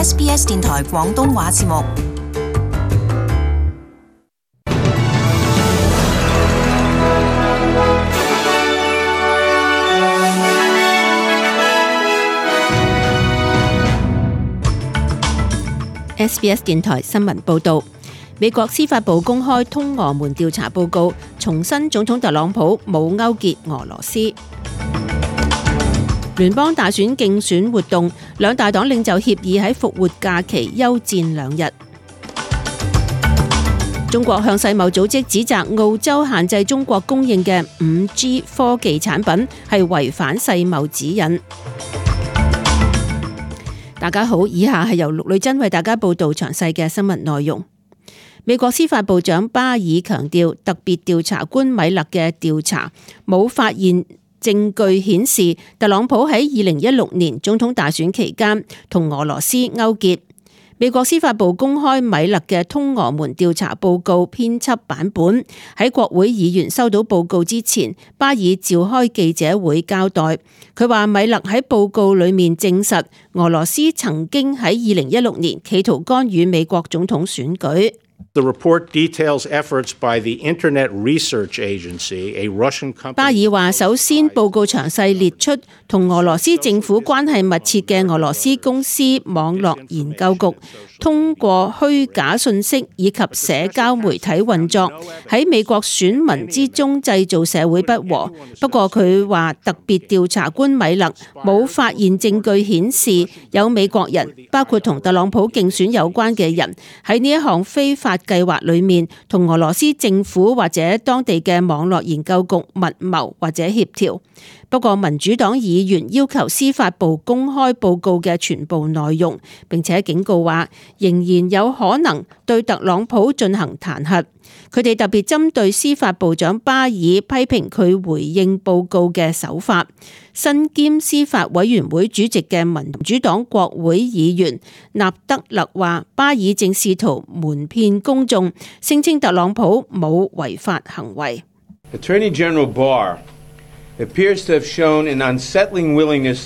SBS 電台廣東話節目。SBS 電台新聞報導，美國司法部公開通俄門調查報告，重申總統特朗普冇勾結俄羅斯。聯邦大選競選活動，兩大黨領袖協議喺復活假期休戰2日。中國向世貿組織指責澳洲限制中國供應嘅 5G 科技產品係違反世貿指引。大家好，以下係由陸女真為大家報道詳細嘅新聞內容。美國司法部長巴爾強調，特別調查官米勒嘅調查冇發現證據顯示特朗普喺2016年總統大選期間同俄羅斯勾結。美國司法部公開米勒嘅通俄門調查報告編輯版本，喺國會議員收到報告之前，巴爾召開記者會交代。佢話米勒喺報告裏面證實俄羅斯曾經喺2016年企圖干預美國總統選舉。The report details efforts by the Internet Research Agency, a Russian company. 巴爾話：首先，報告詳細列出同俄羅斯政府關係密切嘅俄羅斯公司網絡研究局，通過虛假信息以及社交媒體運作，喺美國選民之中製造社會不和。不過佢話，特別調查官米勒冇發現證據顯示有美國人，包括同特朗普競選有關嘅人，喺呢一項非法計劃裏面同俄羅斯政府或者當地嘅網絡研究局密謀或者協調。不過民主黨議員要求司法部公開報告嘅全部內容，並且警告話仍然有可能對特朗普進行彈劾。佢哋特別針對司法部長巴爾批評佢回應報告嘅手法。身兼司法委員會主席嘅民主黨國會議員納德勒話，巴爾正試圖瞞騙公眾，聲稱特朗普冇違法行為。Attorney General Barr appears to have shown an unsettling willingness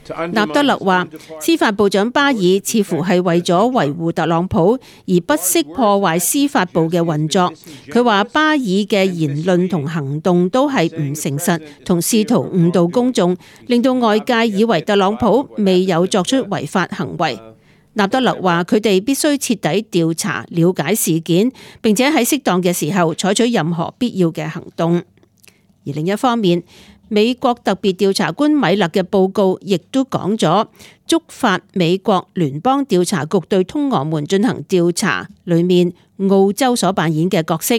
to undermine。納德勒話，司法部長巴爾似乎係為咗維護特朗普而不惜破壞司法部嘅運作。佢話巴爾嘅言論同行動都係唔誠實，同試圖誤導公眾，令到外界以為特朗普未有作出違法行為。納德勒話，佢哋必須徹底調查、了解事件，並且喺適當嘅時候採取任何必要嘅行動。而另一方面，美國特別調查官米勒嘅報告亦都講咗，觸發美國聯邦調查局對通俄門進行調查裏面澳洲所扮演嘅角色。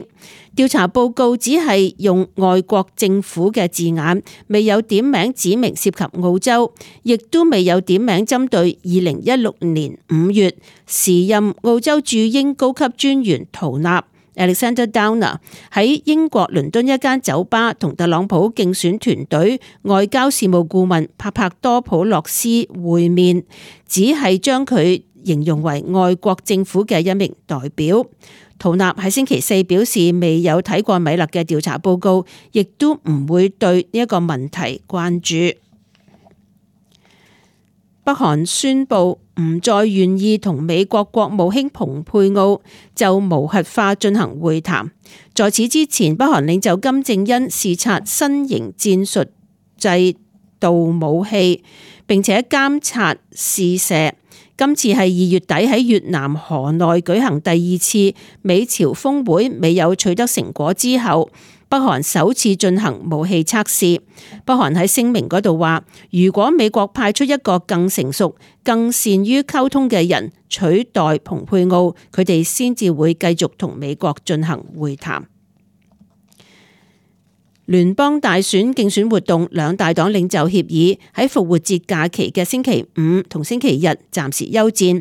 調查報告只係用外國政府嘅字眼，未有點名指明涉及澳洲，亦都未有點名針對2016年5月時任澳洲駐英高級專員圖納Alexander Downer 喺英國倫敦一間酒吧同特朗普競選團隊外交事務顧問帕帕多普洛斯會面，只係將佢形容為外國政府嘅一名代表。圖納喺星期四表示未有睇過米勒嘅調查報告，亦都唔會對呢一個問題關注。北韓宣布唔再願意同美國國務卿蓬佩奧就無核化進行會談。在此之前，北韓領袖金正恩視察新型戰術制導武器，並且監察試射。今次係2月底喺越南河內舉行第2次美朝峰會，未有取得成果之後，北韓首次進行武器測試。北韓喺聲明嗰度話，如果美國派出一個更成熟、更善於溝通嘅人取代蓬佩奧，佢哋先至會繼續同美國進行會談。聯邦大選競選活動，兩大黨領袖協議喺復活節假期嘅星期五同星期日暫時休戰。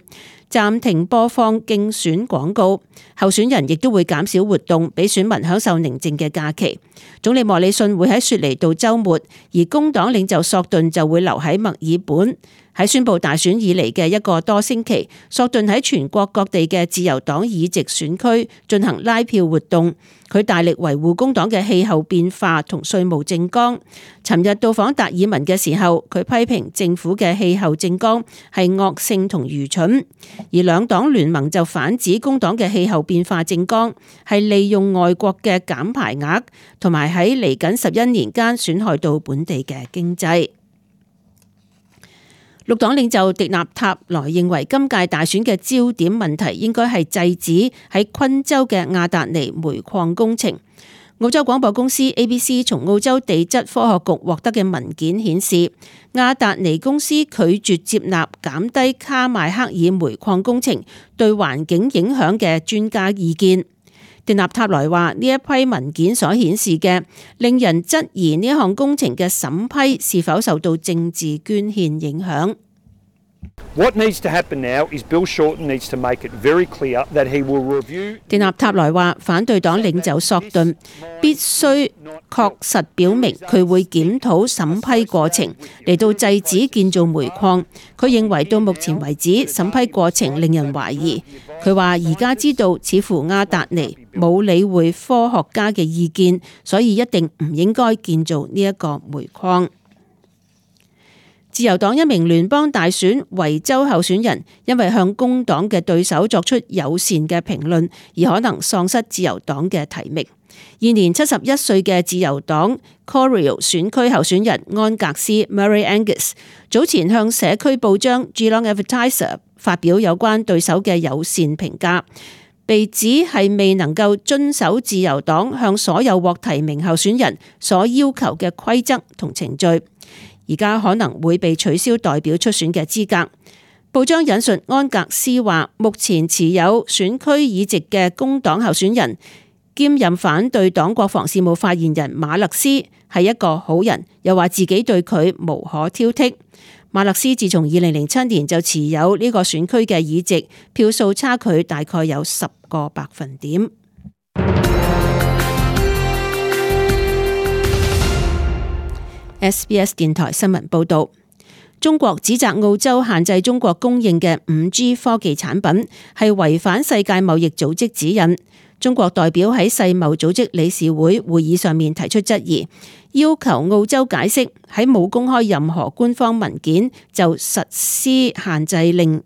暫停播放競選廣告，候選人亦都會減少活動，俾選民享受寧靜嘅假期。總理莫里遜會喺雪梨度週末，而工黨領袖索頓就會留喺墨爾本。喺宣布大選以嚟嘅一個多星期，索頓喺全國各地嘅自由黨議席選區進行拉票活動。佢大力維護工黨嘅氣候變化同稅務政綱。尋日到訪達爾文嘅時候，佢批評政府嘅氣候政綱係惡性同愚蠢，而兩黨聯盟就反指工黨嘅氣候變化政綱係利用外國嘅減排額，同埋喺嚟緊11年間損害到本地嘅經濟。綠黨領袖迪納塔萊認為今屆大選嘅焦點問題應該係制止喺昆州嘅亞達尼煤礦工程。澳洲廣播公司 ABC 從澳洲地質科學局獲得嘅文件顯示，亞達尼公司拒絕接納減低卡邁克爾煤礦工程對環境影響嘅專家意見。迪納塔萊話：呢一批文件所顯示嘅，令人質疑呢項工程嘅審批是否受到政治捐獻影響。What needs to happen now is Bill Shorten needs to make it very clear that he will review。迪納塔萊話，反對黨領袖索頓必須確實表明佢會檢討審批過程，嚟到制止建造煤礦。佢認為到目前為止審批過程令人懷疑。佢話而家知道似乎亞達尼冇理會科學家嘅意見，所以一定唔應該建造呢一個煤礦。自由黨一名聯邦大選維州候選人因為向工黨嘅對手作出友善嘅評論，而可能喪失自由黨嘅提名。現年71歲嘅自由黨 Corio 選區候選人安格斯 Murray Angus 早前向社區報章 Geelong Advertiser 發表有關對手嘅友善評價，被指係未能夠遵守自由黨向所有獲提名候選人所要求嘅規則同程序。而家可能會被取消代表出選嘅資格。報章引述安格斯話，目前持有選區議席嘅工黨候選人兼任反對黨國防事務發言人馬勒斯係一個好人，又話自己對佢無可挑剔。馬勒斯自從2007年就持有呢個選區嘅議席，票數差距大概有10個百分點。SBS 電台新聞報道，中國指責澳洲限制中國供應嘅 5G 科技產品係違反世界貿易組織指引。中國代表喺世貿組織理事會會議上面提出質疑，要求澳洲解釋喺冇公開任何官方文件就實施限制令。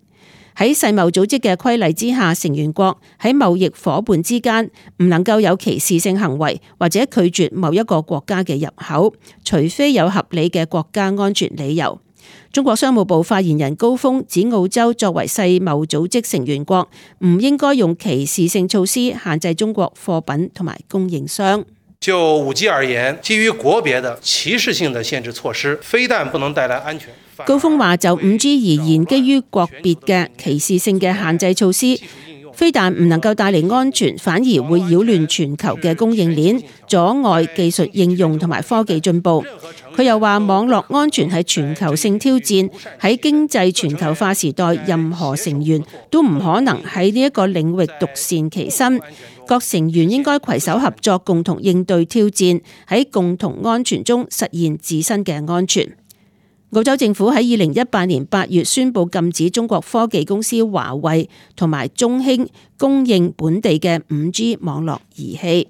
喺世貿組織嘅規例之下，成員國喺貿易夥伴之間唔能夠有歧視性行為，或者拒絕某一個國家嘅入口，除非有合理嘅國家安全理由。中國商務部發言人高峰指，澳洲作為世貿組織成員國，唔應該用歧視性措施限制中國貨品同埋供應商。就 5G 而言，基於國別的歧視性的限制措施，非但不能帶來安全。高峰話，就 5G 而言，基於國別嘅歧視性嘅限制措施，非但唔能夠帶嚟安全，反而會擾亂全球嘅供應鏈，阻礙技術應用同埋科技進步。佢又話，網絡安全係全球性挑戰，喺經濟全球化時代，任何成員都唔可能喺呢一個領域獨善其身，各成員應該攜手合作，共同應對挑戰，喺共同安全中實現自身嘅安全。澳洲政府喺2018年8月宣布禁止中國科技公司華為同埋中興供應本地嘅 5G 網絡儀器。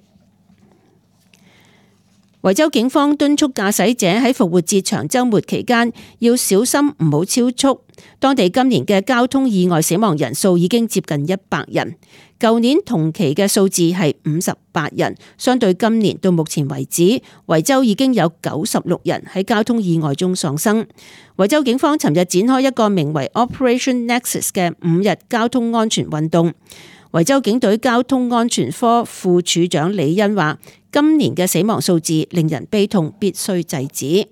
維州警方敦促駕駛者喺復活節長週末期間要小心唔好超速。當地今年嘅交通意外死亡人數已經接近100人，舊年同期嘅數字係58人，相對今年到目前為止，維州已經有96人喺交通意外中喪生。維州警方尋日展開一個名為 Operation Nexus 嘅5日交通安全運動。維州警隊交通安全科副處長李恩話，今年嘅死亡數字令人悲痛，必須制止。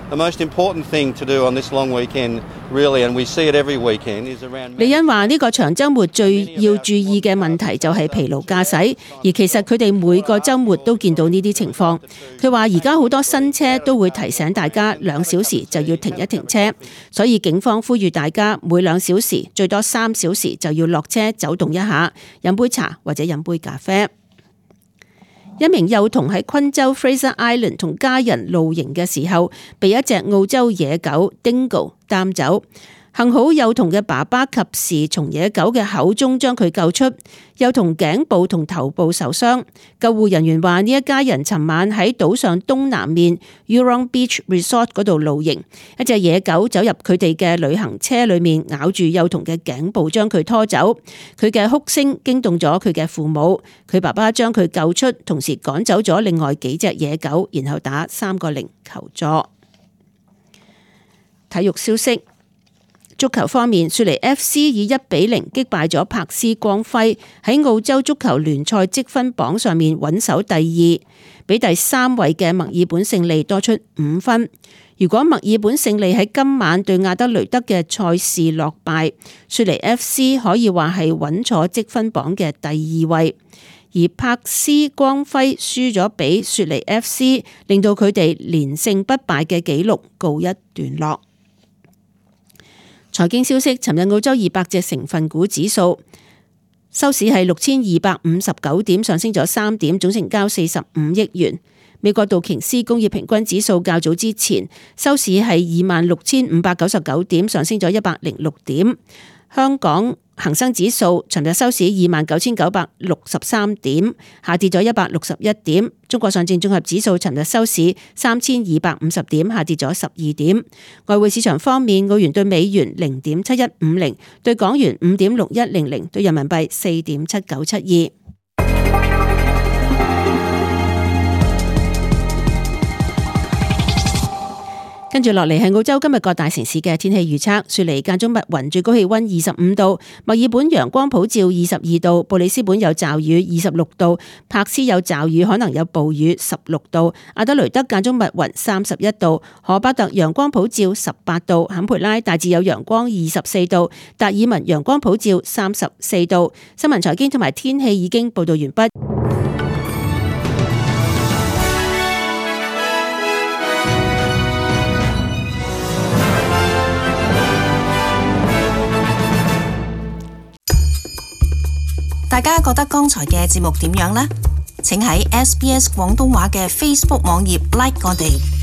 The most important thing to do on this long weekend, really, and we see it every weekend, is around.李欣話：呢個長週末最要注意嘅問題就係疲勞駕駛，而其實佢哋每個週末都見到呢啲情況。佢話：而家好多新車都會提醒大家2小時就要停一停車，所以警方呼籲大家每2小時最多3小時就要落車走動一下，飲杯茶或者飲杯咖啡。一名幼童喺昆州 Fraser Island 同家人露營嘅時候，被一隻澳洲野狗 Dingo 擔走。幸好幼童嘅爸爸及時從野狗嘅口中將佢救出，幼童頸部同頭部受傷。救護人員話：呢一家人尋晚喺島上東南面 Eurong Beach Resort 嗰度露營，一隻野狗走入佢哋嘅旅行車裏面，咬住幼童嘅頸部將佢拖走。佢嘅哭聲驚動咗佢嘅父母，佢爸爸將佢救出，同時趕走咗另外幾隻野狗，然後打310求助。體育消息。足球方面，雪梨 FC 以1-0擊敗咗柏斯光輝，喺澳洲足球聯賽積分榜上面穩守第2，比第3位嘅墨爾本勝利多出5分。如果墨爾本勝利喺今晚對亞德雷德嘅賽事落敗，雪梨 FC 可以話係穩坐積分榜嘅第2位，而柏斯光輝輸咗俾雪梨 FC， 令到佢哋連勝不敗嘅紀錄告一段落。財經消息，尋日澳洲200隻成分股指數收市係6259點，上升咗3點，總成交45億元。美國道瓊斯工業平均指數較早之前收市係26,599點，上升咗106點。香港恒生指數尋日收市29,963點，下跌咗161點。中國上證綜合指數尋日收市3,250點，下跌咗12點。外匯市場方面，澳元對美元0.7150，對港元5.6100，對人民幣4.7972。跟住落嚟係澳洲今日各大城市嘅天氣預測。雪梨間中密雲，最高氣溫25度；墨爾本陽光普照22度；布里斯本有驟雨26度；柏斯有驟雨可能有暴雨16度；阿德雷德間中密雲31度；荷巴特陽光普照18度；坎培拉大致有陽光24度；達爾文陽光普照34度。新聞財經同埋天氣已經報道完畢。大家覺得剛才嘅節目點樣呢？請喺SBS 廣東話嘅 Facebook 網頁 like 我哋。